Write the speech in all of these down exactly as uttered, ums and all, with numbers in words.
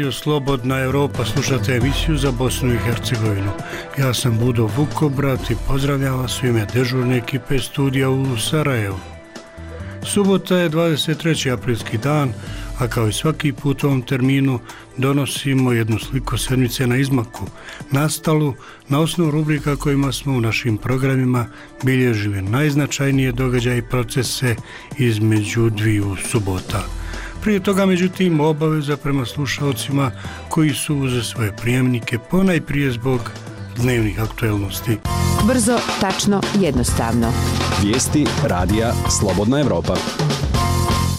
Radio Slobodna Europa, slušate emisiju za Bosnu i Hercegovinu. Ja sam Budo Vukobrat i pozdravljam vas u ime dežurne ekipe studija u Sarajevu. Subota je dvadeset treći aprilski dan, a kao i svaki put u ovom terminu donosimo jednu sliku sedmice na izmaku, nastalu na osnovu rubrika kojima smo u našim programima bilježili najznačajnije događaje i procese između dviju subota. Prije toga, međutim, obaveza prema slušalcima koji su uze svoje prijemnike ponajprije zbog dnevnih aktuelnosti. Brzo, tačno, jednostavno. Vijesti radija Slobodna Europa.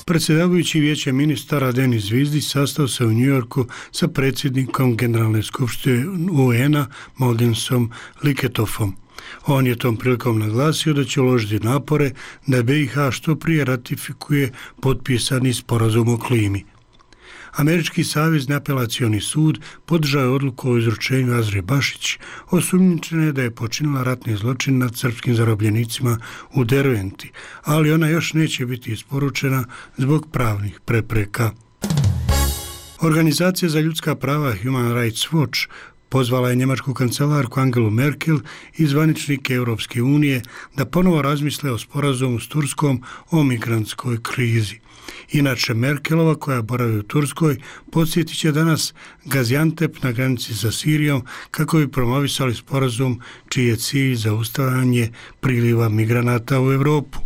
Predsjedavajući Vijeće ministara Denis Zvizdić sastao se u Njujorku sa predsjednikom Generalne skupštine U N-a Moghensom Liketofom. On je tom prilikom naglasio da će uložiti napore da B i H što prije ratifikuje potpisani sporazum o klimi. Američki savezni apelacioni sud podržao je odluku o izručenju Azre Bašić, osumnjičene da je počinila ratni zločin nad srpskim zarobljenicima u Derventi, ali ona još neće biti isporučena zbog pravnih prepreka. Organizacija za ljudska prava Human Rights Watch pozvala je njemačku kancelarku Angelu Merkel i zvaničnike Europske unije da ponovo razmisle o sporazumu s Turskom o migrantskoj krizi. Inače, Merkelova, koja boravi u Turskoj, podsjetit će danas Gaziantep na granici sa Sirijom kako bi promovisali sporazum čiji je cilj zaustavljanje priliva migranata u Europu.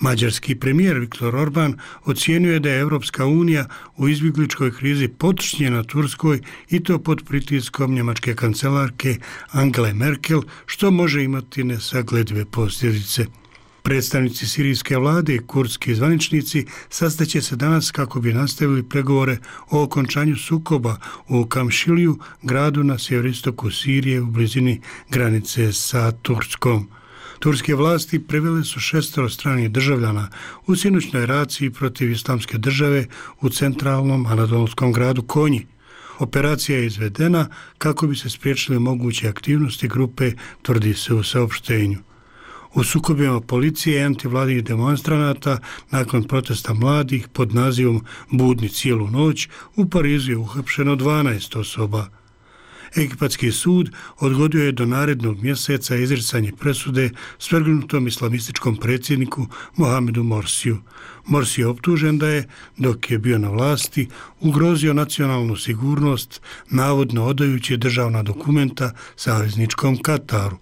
Mađarski premijer Viktor Orban ocijenio je da je Europska unija u izbjegličkoj krizi potučnjena Turskoj i to pod pritiskom njemačke kancelarke Angele Merkel, što može imati nesagledive posljedice. Predstavnici sirijske vlade i kurdski zvaničnici sastaće se danas kako bi nastavili pregovore o okončanju sukoba u Kamšiliju, gradu na sjeveroistoku Sirije u blizini granice sa Turskom. Turske vlasti privele su šestero stranih državljana u sinoćnoj raciji protiv islamske države u centralnom anadolskom gradu Konji. Operacija je izvedena kako bi se spriječile moguće aktivnosti grupe, tvrdi se u saopštenju. U sukobima policije i antivladinih demonstranata nakon protesta mladih pod nazivom Budni cijelu noć u Parizu je uhapšeno dvanaest osoba. Egipatski sud odgodio je do narednog mjeseca izricanje presude svrgnutom islamističkom predsjedniku Mohamedu Morsiju. Morsi je optužen da je, dok je bio na vlasti, ugrozio nacionalnu sigurnost, navodno odajući državna dokumenta savezničkom Kataru.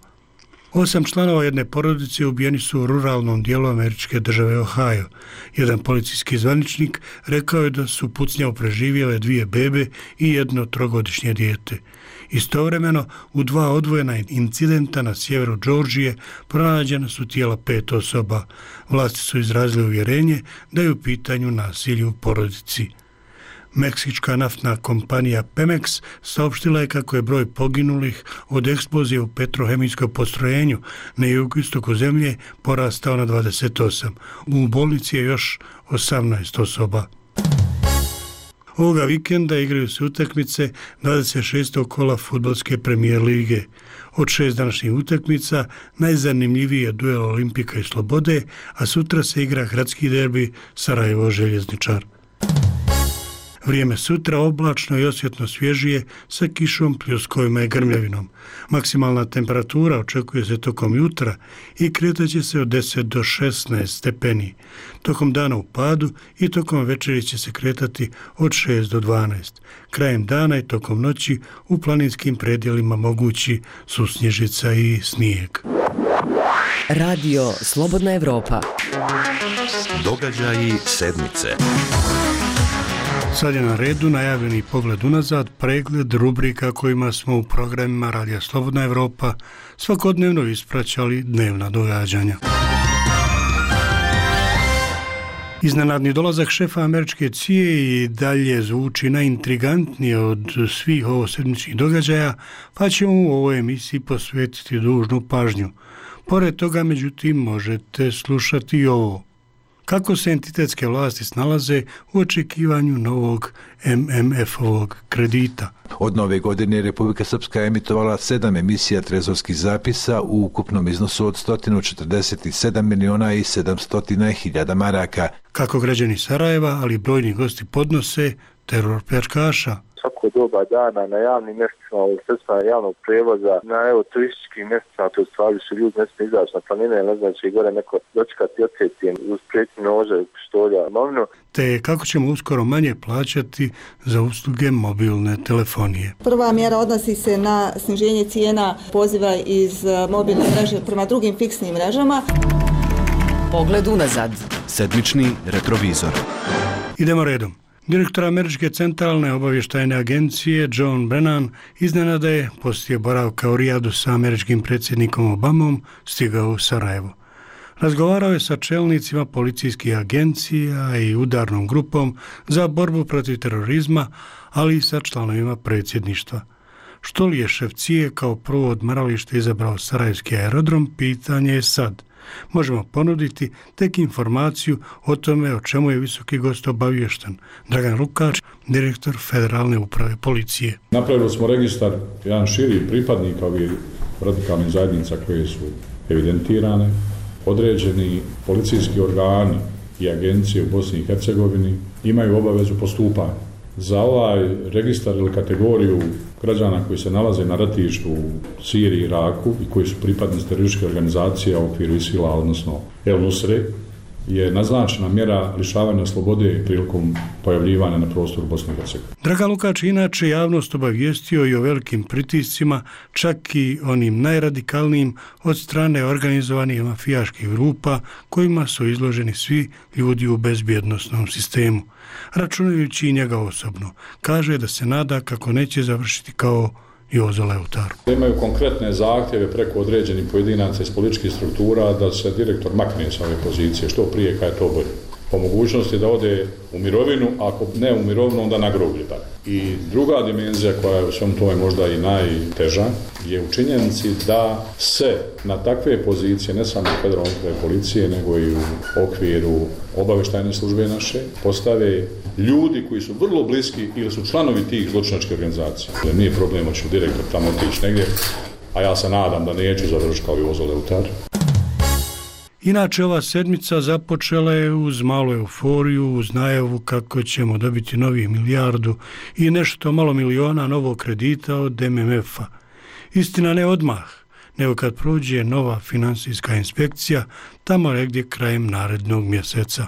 Osam članova jedne porodice ubijeni su u ruralnom dijelu američke države Ohio. Jedan policijski zvaničnik rekao je da su pucnjavu preživjele dvije bebe i jedno trogodišnje dijete. Istovremeno, u dva odvojena incidenta na sjeveru Džordžije pronađena su tijela pet osoba. Vlasti su izrazile uvjerenje da je u pitanju nasilje u porodici. Meksička naftna kompanija Pemex saopštila je kako je broj poginulih od eksplozije u petrohemijskom postrojenju na jugoistoku zemlje porastao na dvadeset osam. U bolnici je još osamnaest osoba. Ovoga vikenda igraju se utakmice dvadeset šestog kola fudbalske premijer lige. Od šest današnjih utakmica najzanimljiviji je duel Olimpika i Slobode, a sutra se igra gradski derbi Sarajevo-Željezničar. Vrijeme sutra oblačno i osjetno svježije sa kišom, pljuskovima i grmljavinom. Maksimalna temperatura očekuje se tokom jutra i kretaće se od deset do šesnaest stepeni. Tokom dana u padu i tokom večeri će se kretati od šest do dvanaest. Krajem dana i tokom noći u planinskim predjelima mogući su snježica i snijeg. Radio Slobodna Europa. Događaji sedmice. Sad je na redu najavljeni pogled unazad, pregled rubrika kojima smo u programima Radija Slobodna Europa svakodnevno ispraćali dnevna događanja. Iznenadni dolazak šefa američke C I A i dalje zvuči najintrigantnije od svih ovosedmičnih događaja, pa ćemo u ovoj emisiji posvetiti dužnu pažnju. Pored toga, međutim, možete slušati i ovo. Kako se entitetske vlasti snalaze u očekivanju novog M M F-ovog kredita. Od nove godine Republika Srpska je emitovala sedam emisija trezorskih zapisa u ukupnom iznosu od sto četrdeset sedam miliona i sedamsto hiljada maraka. Kako građani Sarajeva, ali brojni gosti podnose teror pljačkaša. svako doba dana na javnim mjestima, sredstvima javnog prijevoza, na evo turističkim mjestima, to stvari su ljudi ne smije izaći na planine, ne znam će i gore neko dočekati ocetijem uz prijetnje nože, pištolja, imovinu. Te kako ćemo uskoro manje plaćati za usluge mobilne telefonije. Prva mjera odnosi se na sniženje cijena poziva iz mobilne mreže prema drugim fiksnim mrežama. Pogled unazad. Sedmični retrovizor. Idemo redom. Direktor Američke centralne obavještajne agencije John Brennan iznenada je poslije boravka u Rijadu sa američkim predsjednikom Obamom stigao u Sarajevo. Razgovarao je sa čelnicima policijskih agencija i udarnom grupom za borbu protiv terorizma, ali i sa članovima predsjedništva. Što li je šef C I E kao prvo odmaralište izabrao sarajevski aerodrom, pitanje je sad. Možemo ponuditi tek informaciju o tome o čemu je visoki gost obaviješten. Dragan Lukač, direktor Federalne uprave policije. Napravili smo registar, jedan širi pripadnika ovih radikalnih zajednica koje su evidentirane. Određeni policijski organi i agencije u Bosni i Hercegovini imaju obavezu postupanja. Za ovaj registar ili kategoriju građana koji se nalaze na ratištu u Siriji i Iraku i koji su pripadnici terorističke organizacije u okviru ISIL-a, odnosno El Nusre, je naznačena mjera lišavanja slobode prilikom pojavljivanja na prostoru Bosne i Hercegovine. Dragan Lukač inače javnost obavijestio i o velikim pritiscima, čak i onim najradikalnijim od strane organizovanih mafijaških grupa kojima su izloženi svi ljudi u bezbjednosnom sistemu. Računajući i njega osobno, kaže da se nada kako neće završiti kao Jozo Leutar. Imaju konkretne zahtjeve preko određenih pojedinaca iz političkih struktura da se direktor makne sa ove pozicije, što prije kad je to bolje. Po mogućnosti da ode u mirovinu, ako ne u mirovinu, onda na groblje. I druga dimenzija koja je u svem tome možda i najteža je u činjenici da se na takve pozicije, ne samo u federalnoj upravi policije, nego i u okviru obavještajne službe naše, postave ljudi koji su vrlo bliski ili su članovi tih zločinačkih organizacija. Nije problem hoće direktor tamo otići negdje, a ja se nadam da neću završiti kao Jozo Leutar. Inače, ova sedmica započela je uz malu euforiju, uz najavu kako ćemo dobiti novi milijardu i nešto malo miliona novog kredita od M M F-a. Istina ne odmah, nego kad prođe nova finansijska inspekcija, tamo negdje krajem narednog mjeseca.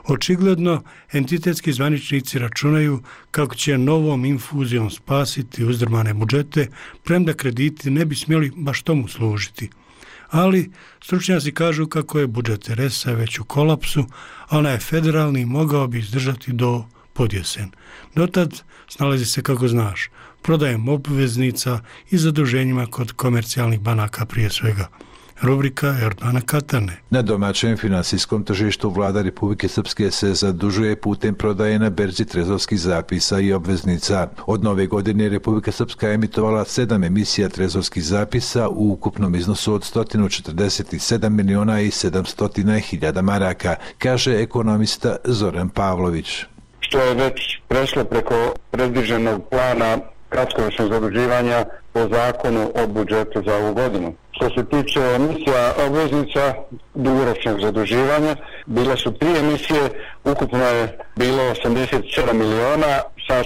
Očigledno, entitetski zvaničnici računaju kako će novom infuzijom spasiti uzdrmane budžete, premda krediti ne bi smjeli baš tomu služiti. Ali stručnjaci kažu kako je budžet R S-a već u kolapsu, a onaj federalni mogao bi izdržati do podjesen. Dotad snalazi se kako znaš, prodajem obveznica i zaduženjima kod komercijalnih banaka prije svega. Rubrika Erdana Katane. Na domaćem finansijskom tržištu vlada Republike Srpske se zadužuje putem prodaje na berzi trezorskih zapisa i obveznica. Od nove godine Republika Srpska emitovala sedam emisija trezorskih zapisa u ukupnom iznosu od sto četrdeset sedam miliona i sedamsto hiljada maraka, kaže ekonomista Zoran Pavlović. Što je već prešlo preko predviđenog plana kratkoročnog zaduživanja po zakonu o budžetu za ovu godinu. Što se tiče emisija obveznica dugoročnog zaduživanja, bile su tri emisije, ukupno je bilo osamdeset sedam miliona, sa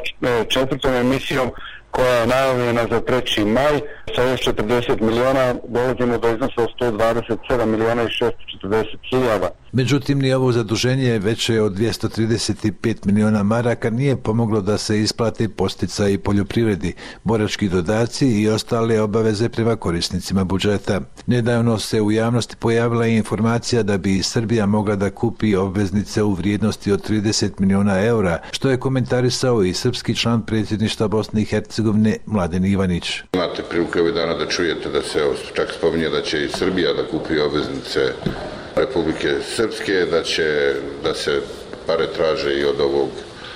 četvrtom emisijom koja je najavljena za treći maj, sa još četrdeset miliona dolazimo do iznosa od sto dvadeset sedam miliona i šesto četrdeset hiljada. Međutim, ni ovo zaduženje veće od dvjesto trideset pet miliona maraka nije pomoglo da se isplate podsticaji poljoprivredi, borački dodaci i ostale obaveze prema korisnicima budžeta. Nedavno se u javnosti pojavila i informacija da bi Srbija mogla da kupi obveznice u vrijednosti od trideset miliona eura, što je komentarisao i srpski član predsjedništva Bosne i Hercegovine Mladen Ivanić. Imate priliku ovih dana da čujete da se čak spominje da će i Srbija da kupi obveznice Republike Srpske, da će da se pare traže i od ovog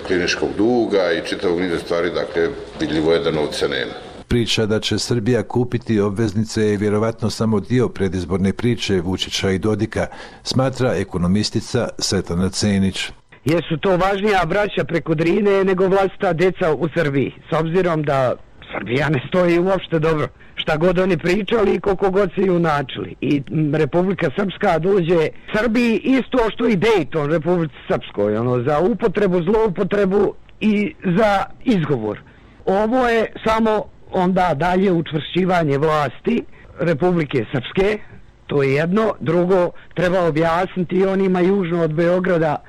kliničkog duga i čitavog niza stvari, dakle vidljivo je da novca nema. Priča da će Srbija kupiti obveznice je vjerovatno samo dio predizborne priče Vučića i Dodika, smatra ekonomistica Svetlana Cenić. Jer su to važnija braća preko Drine nego vlastita deca u Srbiji, s obzirom da Srbija ne stoji uopšte dobro. Šta god oni pričali i koliko god se junačili. I Republika Srpska dođe Srbiji isto što i Dejton Republici Srpskoj, ono, za upotrebu, zloupotrebu i za izgovor. Ovo je samo onda dalje učvršćivanje vlasti Republike Srpske, to je jedno. Drugo, treba objasniti onima južno od Beograda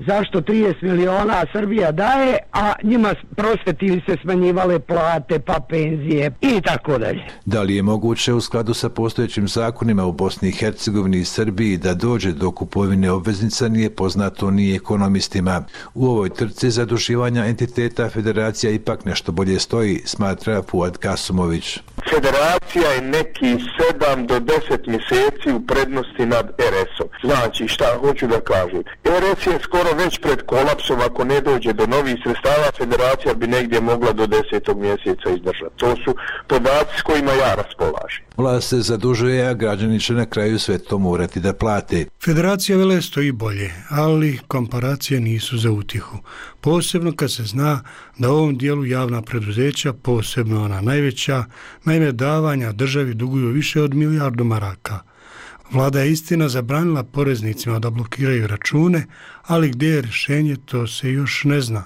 zašto trideset miliona Srbija daje, a njima prosveti se smanjivale plate, pa penzije i tako dalje. Da li je moguće u skladu sa postojećim zakonima u Bosni i Hercegovini i Srbiji da dođe do kupovine obveznica nije poznato ni ekonomistima. U ovoj trci zaduživanja entiteta federacija ipak nešto bolje stoji, smatra Fuad Kasumović. Federacija je neki sedam do deset mjeseci u prednosti nad er esom. Znači, šta hoću da kažem? er es je skoro već pred kolapsom, ako ne dođe do novih sredstava, federacija bi negdje mogla do desetog mjeseca izdržati. To su podaci s kojima ja raspolažem. Vlast se zadužuje, a građani će na kraju sve to morati da plate. Federacija vele stoji bolje, ali komparacije nisu za utihu. Posebno kad se zna da u ovom dijelu javna preduzeća, posebno ona najveća, naime davanja državi duguju više od milijardu maraka. Vlada je istina zabranila poreznicima da blokiraju račune, ali gdje je rješenje, to se još ne zna.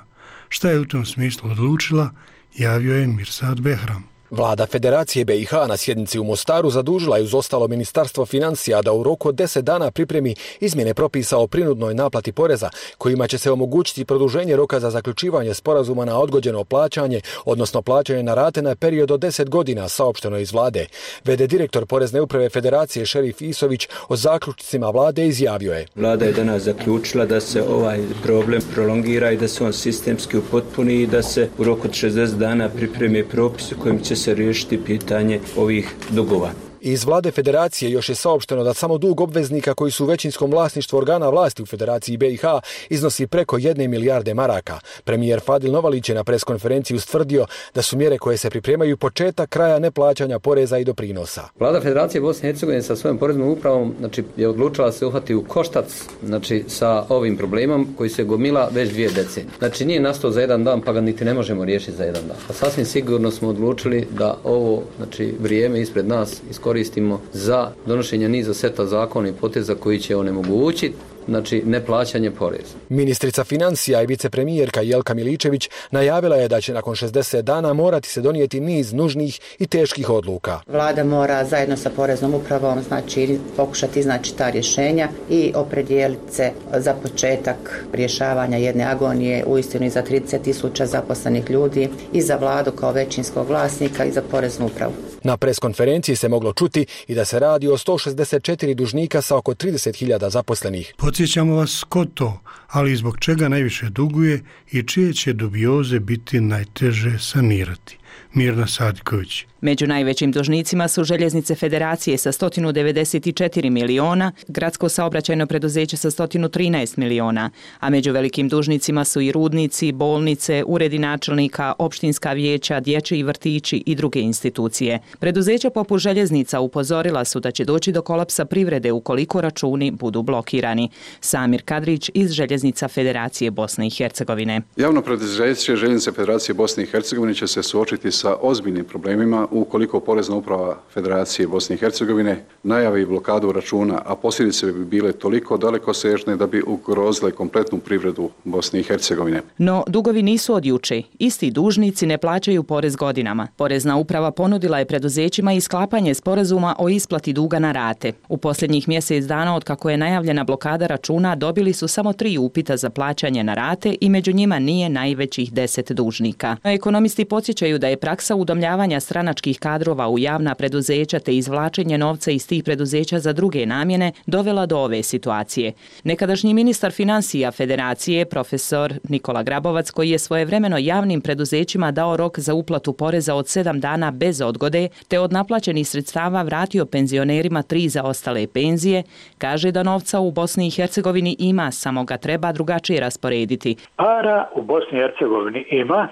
Šta je u tom smislu odlučila, javio je Mirsad Behram. Vlada Federacije be i ha na sjednici u Mostaru zadužila je uz ostalo Ministarstvo financija da u roku od deset dana pripremi izmjene propisa o prinudnoj naplati poreza, kojima će se omogućiti produženje roka za zaključivanje sporazuma na odgođeno plaćanje, odnosno plaćanje na rate na period od deset godina, saopšteno iz vlade. ve de direktor Porezne uprave Federacije Šerif Isović o zaključcima vlade izjavio je. Vlada je danas zaključila da se ovaj problem prolongira i da se on sistemski upotpuni i da se u roku od šezdeset dana pripremi propis kojim će se riješiti pitanje ovih dugova. Iz vlade Federacije još je saopšteno da samo dug obveznika koji su u većinskom vlasništvu organa vlasti u Federaciji be i ha iznosi preko jedne milijarde maraka. Premijer Fadil Novalić je na preskonferenciji ustvrdio da su mjere koje se pripremaju početak kraja neplaćanja poreza i doprinosa. Vlada Federacije Bosne i Hercegovine sa svojom poreznom upravom znači, je odlučila se uhvati u koštac znači, sa ovim problemom koji se gomila već dvije decenije. Znači nije nastao za jedan dan pa ga niti ne možemo riješiti za jedan dan. A sasvim sigurno smo odlučili da ovo znači, vrijeme ispred nas iskoristimo koristimo za donošenje niza seta zakona i poteza koji će onemogućiti znači neplaćanje poreza. Ministrica financija i vicepremijerka Jelka Miličević najavila je da će nakon šezdeset dana morati se donijeti niz nužnih i teških odluka. Vlada mora zajedno sa poreznom upravom znači pokušati iznaći ta rješenja i opredijeliti se za početak rješavanja jedne agonije uistinu i za trideset tisuća zaposlenih ljudi i za vladu kao većinskog vlasnika i za poreznu upravu. Na preskonferenciji se moglo čuti i da se radi o sto šezdeset četiri dužnika sa oko trideset hiljada zaposlenih. Podsjećamo vas ko to, ali zbog čega najviše duguje i čije će dubioze biti najteže sanirati. Mirna Sadiković. Među najvećim dužnicima su Željeznice Federacije sa sto devedeset četiri miliona, Gradsko saobraćajno preduzeće sa sto trinaest miliona, a među velikim dužnicima su i rudnici, bolnice, uredi načelnika, opštinska vijeća, dječji vrtići i druge institucije. Preduzeća poput Željeznica upozorila su da će doći do kolapsa privrede ukoliko računi budu blokirani. Samir Kadrić iz Željeznica Federacije Bosne i Hercegovine. Javno preduzeće Željeznice Federacije Bosne i Hercegovine će se suočiti sa ozbiljnim problemima ukoliko Porezna uprava Federacije Bosne i Hercegovine najavi blokadu računa, a posljedice bi bile toliko dalekosežne da bi ugrozile kompletnu privredu Bosne i Hercegovine. No, dugovi nisu od juče. Isti dužnici ne plaćaju porez godinama. Porezna uprava ponudila je preduzećima i sklapanje sporazuma o isplati duga na rate. U posljednjih mjesec dana od kako je najavljena blokada računa dobili su samo tri upita za plaćanje na rate i među njima nije najvećih deset dužnika. Ekonomisti podsjećaju da je praksa udomljavanja stranačkih kadrova u javna preduzeća te izvlačenje novca iz tih preduzeća za druge namjene dovela do ove situacije. Nekadašnji ministar financija Federacije, profesor Nikola Grabovac, koji je svojevremeno javnim preduzećima dao rok za uplatu poreza od sedam dana bez odgode, te od naplaćenih sredstava vratio penzionerima tri zaostale penzije, kaže da novca u Bosni i Hercegovini ima, samo ga treba drugačije rasporediti. Para u Bosni i Hercegovini ima,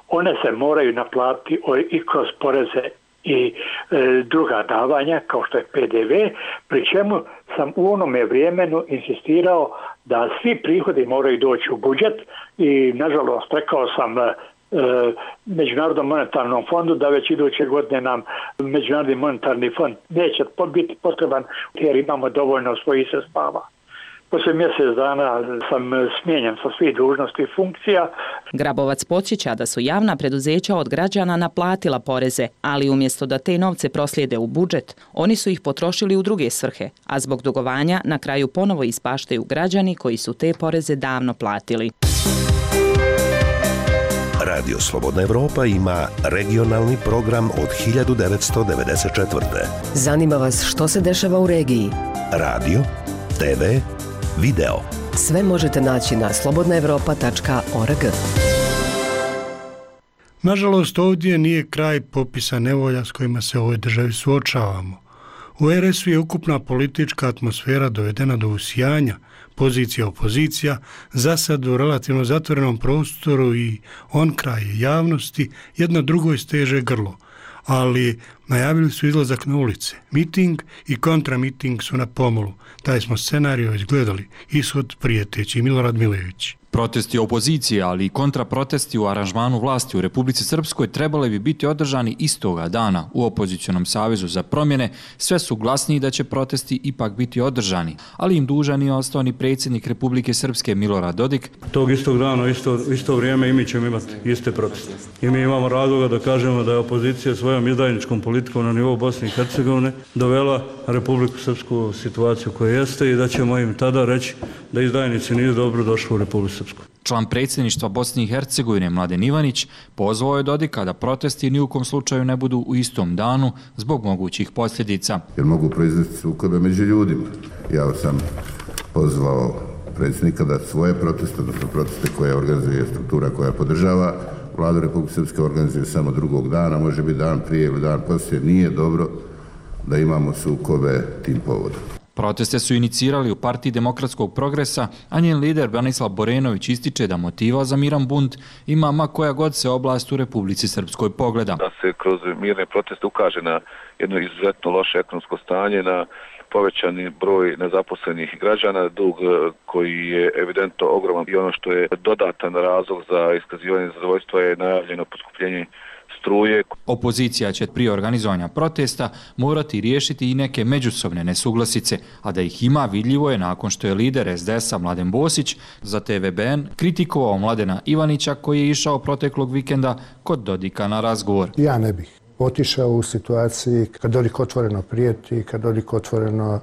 one se moraju naplatiti i kroz poreze i e, druga davanja kao što je pe de ve, pri čemu sam u onome vremenu insistirao da svi prihodi moraju doći u budžet i nažalost rekao sam e, Međunarodnom monetarnom fondu da već iduće godine nam Međunarodni monetarni fond neće biti potreban jer imamo dovoljno svojih sredstava. Poslije mjesec dana sam smijenjen sa svih dužnosti i funkcija. Grabovac podsjeća da su javna preduzeća od građana naplatila poreze, ali umjesto da te novce proslijede u budžet, oni su ih potrošili u druge svrhe, a zbog dugovanja na kraju ponovo ispaštaju građani koji su te poreze davno platili. Radio Slobodna Evropa ima regionalni program od hiljadu devetsto devedeset četvrte. Zanima vas što se dešava u regiji? Radio, te ve, video. Sve možete naći na slobodna evropa tačka org. Nažalost, ovdje nije kraj popisa nevolja s kojima se u ovoj državi suočavamo. U er es u je ukupna politička atmosfera dovedena do usijanja, pozicija opozicija, za sad u relativno zatvorenom prostoru i on kraj javnosti jedna drugoj steže grlo, ali najavili su izlazak na ulice. Miting i kontramiting su na pomolu. Taj smo scenario izgledali, ishod prijeteći. Milorad Milević. Protesti opozicije, ali i kontraprotesti u aranžmanu vlasti u Republici Srpskoj trebali bi biti održani istoga dana u opozicionom savezu za promjene. Sve su glasniji da će protesti ipak biti održani, ali im dužan je ostao ni predsjednik Republike Srpske Milorad Dodik. Tog istog dana, isto, isto vrijeme i mi ćemo imati iste proteste. I mi imamo razloga da kažemo da je opozicija svojom izdajničkom politikom na nivou Bosne i Hercegovine dovela Republiku Srpsku u situaciju koja jeste i da ćemo im tada reći da izdajnici nisu dobro došli u Republiku Srpsku. Član predsjedništva Bosne i Hercegovine Mladen Ivanić pozvao je Dodika da protesti ni u kom slučaju ne budu u istom danu zbog mogućih posljedica. Jer mogu proizvesti sukobe među ljudima. Ja sam pozvao predsjednika da svoje proteste, odnosno proteste koje organizuje struktura koja podržava Vladu Republike Srpske, organizuje samo drugog dana, može biti dan prije ili dan poslije. Nije dobro da imamo sukobe tim povodom. Proteste su inicirali u Partiji demokratskog progresa, a njen lider Branislav Borenović ističe da motiva za miran bunt ima ma koja god se oblast u Republici Srpskoj pogleda. Da se kroz mirne proteste ukaže na jedno izuzetno loše ekonomsko stanje, na povećani broj nezaposlenih građana, dug koji je evidentno ogroman i ono što je dodatan razlog za iskazivanje nezadovoljstva je najavljeno poskupljenje struje. Opozicija će prije organizovanja protesta morati riješiti i neke međusobne nesuglasice, a da ih ima vidljivo je nakon što je lider es de es-a Mladen Bosić za te ve be en kritikovao Mladena Ivanića koji je išao proteklog vikenda kod Dodika na razgovor. Ja ne bih otišao u situaciji kad Dodik otvoreno prijeti, kad Dodik otvoreno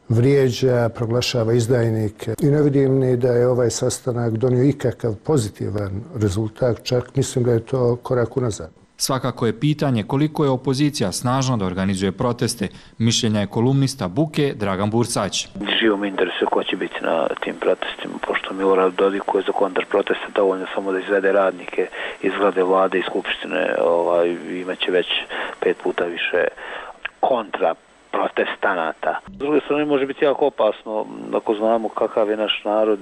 vrijeđa, proglašava izdajnike i ne vidim ni da je ovaj sastanak donio ikakav pozitivan rezultat, čak mislim da je to korak unazad. Svakako je pitanje koliko je opozicija snažna da organizuje proteste. Mišljenja je kolumnista Buke Dragan Bursać. Živo me interesuje ko će biti na tim protestima, pošto Milorad Dodik koji je za kontrproteste dovoljno samo da izvede radnike iz vlade vlade i skupštine, ovaj, imaće već pet puta više kontra protestanata. S druge strane može biti jako opasno ako znamo kakav je naš narod,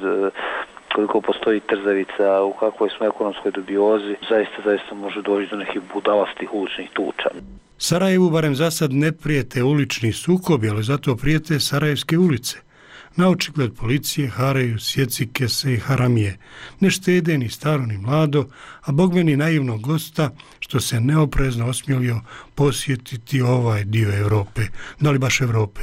koliko postoji trzavica, u kakvoj smo ekonomskoj dubiozi, zaista, zaista može doći do nekih budalastih uličnih tuča. Sarajevu barem za sad ne prijete ulični sukobi, ali zato prijete sarajevske ulice. Na očigled policije haraju sjecike se i haramije. Ne štede ni staro ni mlado, a bogme ni naivnog gosta što se neoprezno osmjelio posjetiti ovaj dio Europe. Da li baš Europe?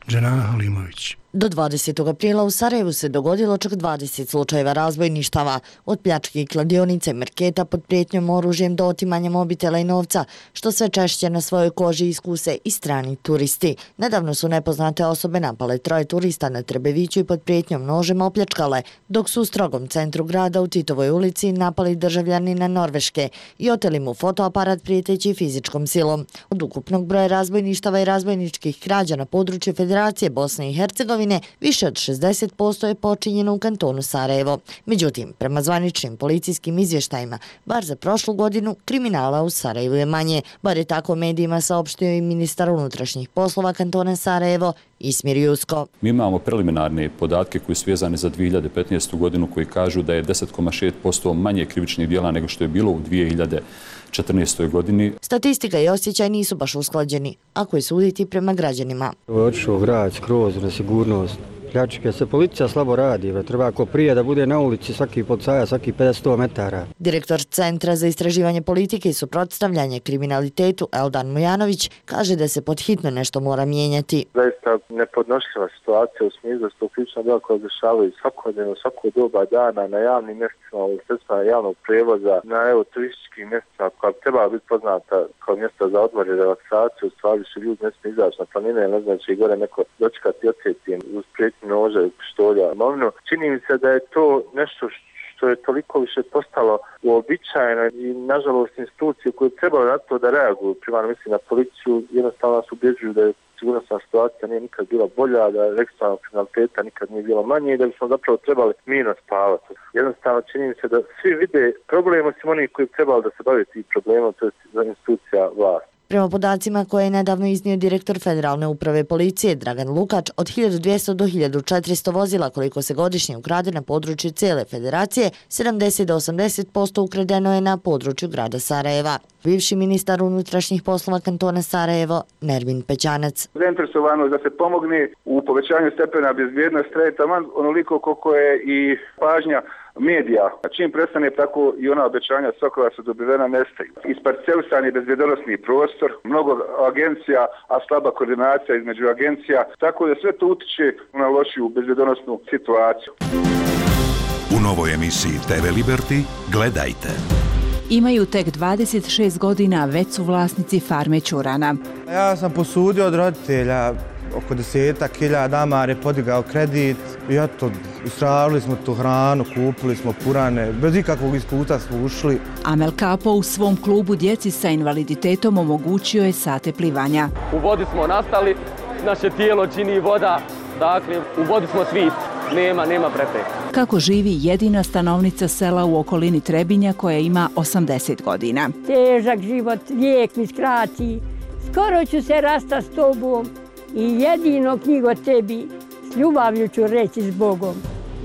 Dženana Halimović. Do dvadesetog aprila u Sarajevu se dogodilo čak dvadeset slučajeva razbojništava, od pljačke i kladionice, marketa pod prijetnjom oružjem do otimanja mobitela i novca, što sve češće na svojoj koži iskuse i strani turisti. Nedavno su nepoznate osobe napale troje turista na Trebeviću i pod prijetnjom nožem opljačkale, dok su u strogom centru grada u Titovoj ulici napali državljanina Norveške i oteli mu fotoaparat prijeteći fizičkom silom. Od ukupnog broja razbojništava i razbojničkih krađa na području Federacije Bosne i Hercegovine više od šezdeset posto je počinjeno u kantonu Sarajevo. Međutim, prema zvaničnim policijskim izvještajima, bar za prošlu godinu, kriminala u Sarajevu je manje. Bar je tako medijima saopštio i ministar unutrašnjih poslova kantona Sarajevo, Ismir Jusko. Mi imamo preliminarne podatke koji su vezane za dvije hiljade petnaestu godinu koji kažu da je deset zarez šest posto manje krivičnih djela nego što je bilo u dvije hiljade četrnaestoj godini. Statistika i osjećaj nisu baš usklađeni, ako je suditi prema građanima. Ovo je otišao grad skroz na sigurnost, pljačke. Se policija slabo radi, bre. Treba ako prije da bude na ulici svaki policajac, svaki pedeset do sto metara. Direktor Centra za istraživanje politike i suprotstavljanje kriminalitetu Eldan Mujanović kaže da se podhitno nešto mora mijenjati. Zaista nepodnošljiva situacija u smislu da su to krivična djela koja dešavaju svakodnevno, svako doba dana na javnim mjestima, u sredstvima javnog prevoza, na evo turističkim mjestima koja bi trebala biti poznata kao mjesta za odmor i relaksaciju, u stvari su ljudi ne smiju izaći na planine, ne znači gore neko dočekati ocetijem uz prijetnju noža i pištolja. Imovinu. Čini mi se da je to nešto što je toliko više postalo uobičajeno i nažalost institucije koje trebaju na to da reaguju, primarno mislim na policiju, jednostavno nas ubjeđuju da je sigurnosna situacija nije nikad bila bolja, da registrovanog kriminaliteta nikad nije bilo manje i da bismo zapravo trebali mirno spavati. Jednostavno čini mi se da svi vide problem osim onih koji trebali da se bave tim problemom, to je institucija vlasti. Prema podacima koje je nedavno iznio direktor Federalne uprave policije Dragan Lukač, od hiljadu dvjesto do hiljadu četiristo vozila koliko se godišnje ukrade na području cijele federacije, sedamdeset do osamdeset posto ukradeno je na području grada Sarajeva. Bivši ministar unutrašnjih poslova kantona Sarajevo, Nermin Pećanac. Zainteresovanost da se pomogne u povećanju stepena bezbjednosti traje taman onoliko koliko je i pažnja medija. Čim prestane, tako i ona obećanja svakova su dobivena nestaju. Isparcelisan je bezbjednosni prostor, mnogo agencija, a slaba koordinacija između agencija, tako da sve to utiče na lošiju bezbjednosnu situaciju. U novoj emisiji te ve Liberty gledajte. Imaju tek dvadeset šest godina, već su vlasnici farme ćurana. Ja sam posudio od roditelja oko desetak hiljada damar je podigao kredit i eto, istravili smo tu hranu, kupili smo purane, bez ikakvog iskustva smo ušli. Amel Kapo u svom klubu djeci sa invaliditetom omogućio je sate plivanja. U vodi smo nastali, naše tijelo čini voda, dakle u vodi smo svi, nema, nema prepreka. Kako živi jedina stanovnica sela u okolini Trebinja koja ima osamdeset godina. Težak život, lijek mi skrati, skoro ću se rasta s tobom i jedino knjigo tebi s ljubavlju ću reći s Bogom.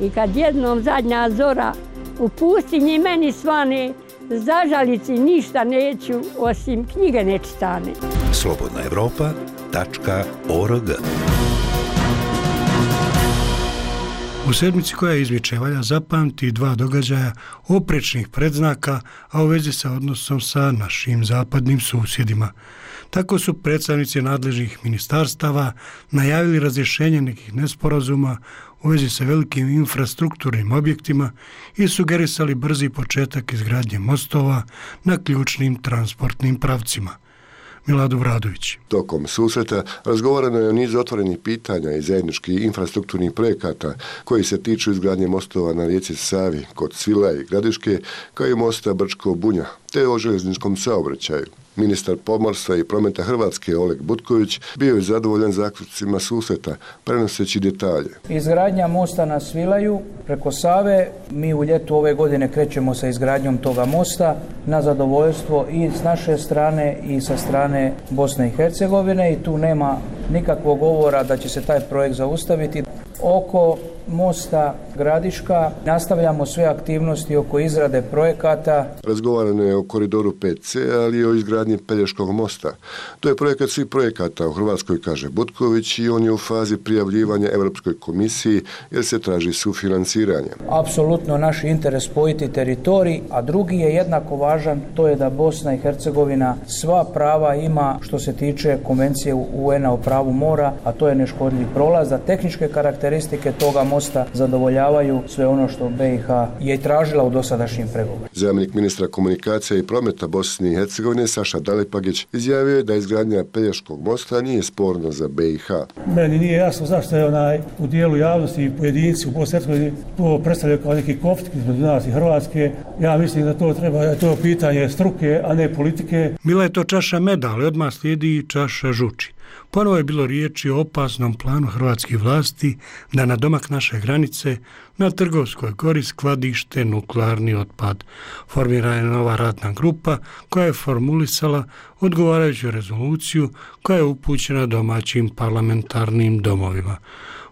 I kad jednom zadnja zora u pustinji meni svane, zažalici ništa neću osim knjige nečitane. slobodna evropa tačka org. U sedmici koja izmiče valja zapamti dva događaja oprečnih predznaka, a u vezi sa odnosom sa našim zapadnim susjedima. Tako su predstavnici nadležnih ministarstava najavili razrješenje nekih nesporazuma u vezi sa velikim infrastrukturnim objektima i sugerisali brzi početak izgradnje mostova na ključnim transportnim pravcima. Milad Obradović. Tokom susreta razgovarano je o nizu otvorenih pitanja i zajedničkih infrastrukturnih projekata koji se tiču izgradnje mostova na rijeci Savi kod Svilaja i Gradiške, kao i mosta Brčko-Bunja, te o željezničkom saobraćaju. Ministar pomorstva i prometa Hrvatske Oleg Butković bio je zadovoljan zaključcima susreta, prenoseći detalje. Izgradnja mosta na Svilaju preko Save, mi u ljetu ove godine krećemo sa izgradnjom toga mosta na zadovoljstvo i s naše strane i sa strane Bosne i Hercegovine i tu nema nikakvog govora da će se taj projekt zaustaviti. Oko mosta Gradiška nastavljamo sve aktivnosti oko izrade projekata. Razgovarano je o koridoru pet ce, ali i o izgradnji Pelješkog mosta. To je projekat svih projekata u Hrvatskoj, kaže Butković, i on je u fazi prijavljivanja Europskoj komisiji jer se traži sufinanciranje. Apsolutno naš interes spojiti teritorij, a drugi je jednako važan, to je da Bosna i Hercegovina sva prava ima što se tiče konvencije u en a o pravu mora, a to je neškodljiv prolaz, da tehničke karakteristike toga mosta zadovoljavaju sve ono što be i ha je tražila u dosadašnjim pregovorima. Zamjenik ministra komunikacije i prometa Bosne i Hercegovine Saša Dalipagić izjavio je da izgradnja Pelješkog mosta nije sporno za be i ha. Meni nije jasno zašto je onaj u dijelu javnosti i pojedinci u Bosni i Hercegovini to predstavljaju kao neki konflikt između nas i Hrvatske. Ja mislim da to treba, da je to pitanje struke, a ne politike. Bila je to čaša meda, ali odmah slijedi i čaša žuči. Ponovo je bilo riječi o opasnom planu hrvatskih vlasti da na domak naše granice na Trgovskoj gori skladište nuklearni otpad. Formirana je nova radna grupa koja je formulisala odgovarajuću rezoluciju koja je upućena domaćim parlamentarnim domovima.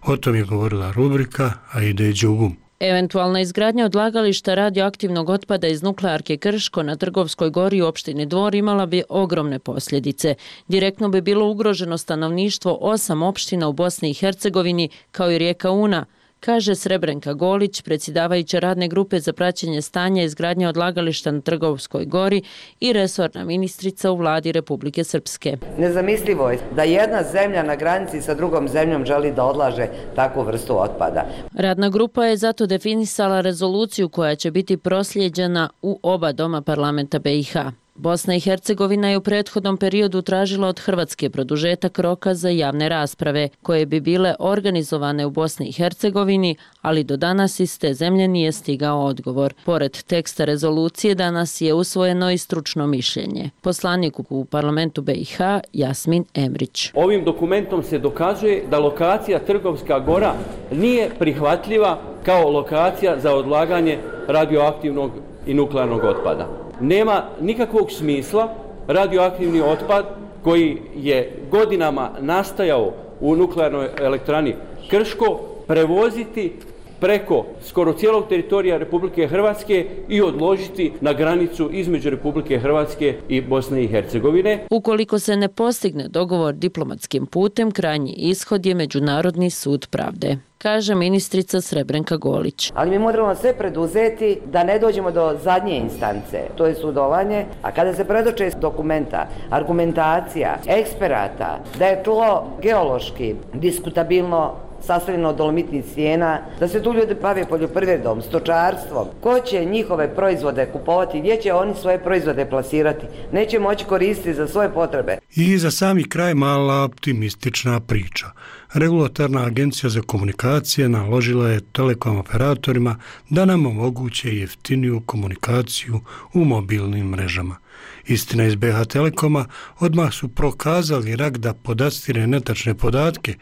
O tom je govorila rubrika Aide Đugum. Eventualna izgradnja odlagališta radioaktivnog otpada iz nuklearke Krško na Trgovskoj gori u opštini Dvor imala bi ogromne posljedice. Direktno bi bilo ugroženo stanovništvo osam opština u Bosni i Hercegovini kao i rijeka Una, kaže Srebrenka Golić, predsjedavajuća radne grupe za praćenje stanja izgradnje odlagališta na Trgovskoj gori i resorna ministrica u vladi Republike Srpske. Nezamislivo je da jedna zemlja na granici sa drugom zemljom želi da odlaže takvu vrstu otpada. Radna grupa je zato definisala rezoluciju koja će biti proslijeđena u oba doma parlamenta B i H. Bosna i Hercegovina je u prethodnom periodu tražila od Hrvatske produžetak roka za javne rasprave, koje bi bile organizovane u Bosni i Hercegovini, ali do danas iz te zemlje nije stigao odgovor. Pored teksta rezolucije danas je usvojeno i stručno mišljenje. Poslanik u parlamentu B i H Jasmin Emrić. Ovim dokumentom se dokazuje da lokacija Trgovska gora nije prihvatljiva kao lokacija za odlaganje radioaktivnog i nuklearnog otpada. Nema nikakvog smisla radioaktivni otpad koji je godinama nastajao u nuklearnoj elektrani Krško prevoziti preko skoro cijelog teritorija Republike Hrvatske i odložiti na granicu između Republike Hrvatske i Bosne i Hercegovine. Ukoliko se ne postigne dogovor diplomatskim putem, krajnji ishod je Međunarodni sud pravde, kaže ministrica Srebrenka Golić. Ali mi moramo sve preduzeti da ne dođemo do zadnje instance, to je sudovanje, a kada se predoče dokumenta, argumentacija, eksperata, da je tlo geološki diskutabilno sastavljeno od dolomitnih stijena, da se tu ljudi bave poljoprivredom, stočarstvom. Ko će njihove proizvode kupovati, gdje će oni svoje proizvode plasirati? Neće moći koristiti za svoje potrebe. I za sami kraj mala optimistična priča. Regulatorna agencija za komunikacije naložila je telekom operatorima da nam omoguće jeftiniju komunikaciju u mobilnim mrežama. Istina iz B H Telekoma odmah su prokazali rak da podastire netačne podatke,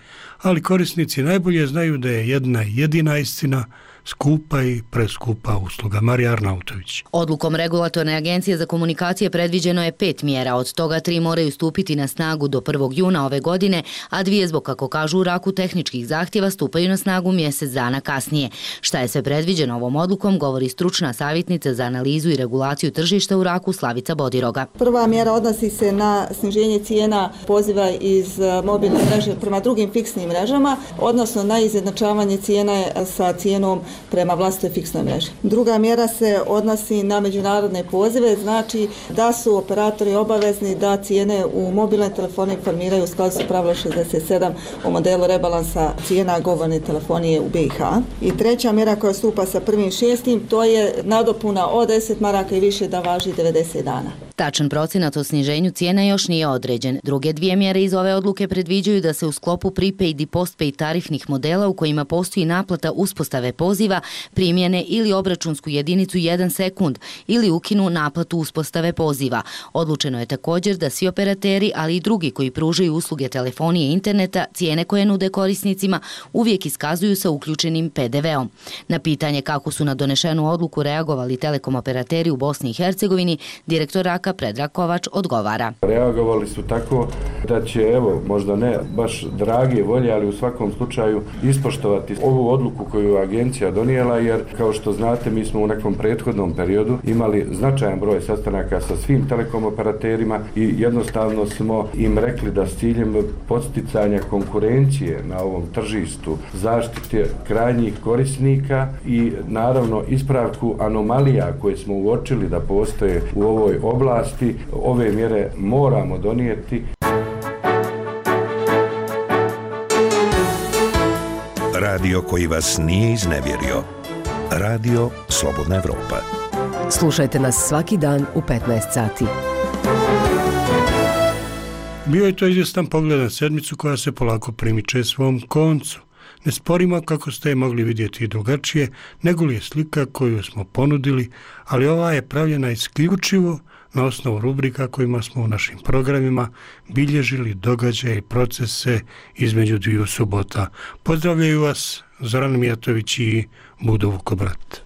ali korisnici najbolje znaju da je jedna jedina istina skupa i preskupa usluga. Marija Arnautović. Odlukom Regulatorne agencije za komunikacije predviđeno je pet mjera, od toga tri moraju stupiti na snagu do prvog juna ove godine, a dvije zbog, kako kažu u raku tehničkih zahtjeva, stupaju na snagu mjesec dana kasnije. Šta je sve predviđeno ovom odlukom, govori stručna savjetnica za analizu i regulaciju tržišta u raku Slavica Bodiroga. Prva mjera odnosi se na sniženje cijena poziva iz mobilne mreže prema drugim fiksnim mrežama, odnosno na izjednačavanje cijene sa cijenom prema vlastitoj fiksnoj mreži. Druga mjera se odnosi na međunarodne pozive, znači da su operatori obavezni da cijene u mobilnoj telefoni formiraju u skladu sa pravilom šezdeset sedam o modelu rebalansa cijena govorne telefonije u B i H. I treća mjera koja stupa sa prvim šestim, to je nadopuna od deset maraka i više da važi devedeset dana. Tačan procenat o sniženju cijena još nije određen. Druge dvije mjere iz ove odluke predviđaju da se u sklopu prepaid i postpaid tarifnih modela u kojima postoji naplata uspostave poziva primjene ili obračunsku jedinicu jedan sekund ili ukinu naplatu uspostave poziva. Odlučeno je također da svi operateri, ali i drugi koji pružaju usluge telefonije i interneta, cijene koje nude korisnicima uvijek iskazuju sa uključenim P D V-om. Na pitanje kako su na donešenu odluku reagovali telekom operateri u Bosni i Hercegovini, direktor raka Predrag Kovač odgovara. Reagovali su tako da će, evo, možda ne baš drage volje, ali u svakom slučaju ispoštovati ovu odluku koju je agencija donijela, jer kao što znate mi smo u nekom prethodnom periodu imali značajan broj sastanaka sa svim telekom operaterima i jednostavno smo im rekli da s ciljem podsticanja konkurencije na ovom tržištu, zaštite krajnjih korisnika i naravno ispravku anomalija koje smo uočili da postoje u ovoj oblasti, ove mjere moramo donijeti. Radio koji vas nije iznevjerio. Radio Slobodna Evropa. Slušajte nas svaki dan u petnaest sati. Bio je to izvjestan pogled na sedmicu koja se polako primiče svom koncu. Ne sporimo kako ste je mogli vidjeti i drugačije, nego li je slika koju smo ponudili, ali ova je pravljena isključivo na osnovu rubrika kojima smo u našim programima bilježili događaje i procese između dviju subota. Pozdravljaju vas Zoran Mijatović i Budo Vukobrat.